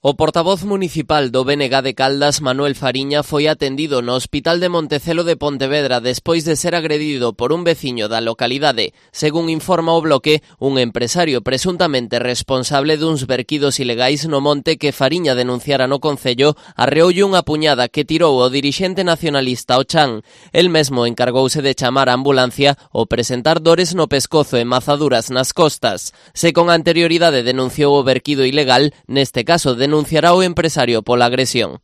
O portavoz municipal do BNG de Caldas, Manuel Fariña, foi atendido no Hospital de Montecelo de Pontevedra despois de ser agredido por un veciño da localidade. Según informa o Bloque, un empresario presuntamente responsable duns verquidos ilegais no monte que Fariña denunciara no Concello arreoulle unha puñada que tirou o dirixente nacionalista ao chan. El mesmo encargouse de chamar a ambulancia ao presentar dores no pescozo e mazaduras nas costas. Se con anterioridade denunciou o verquido ilegal, neste caso denunciará o empresario pola agresión.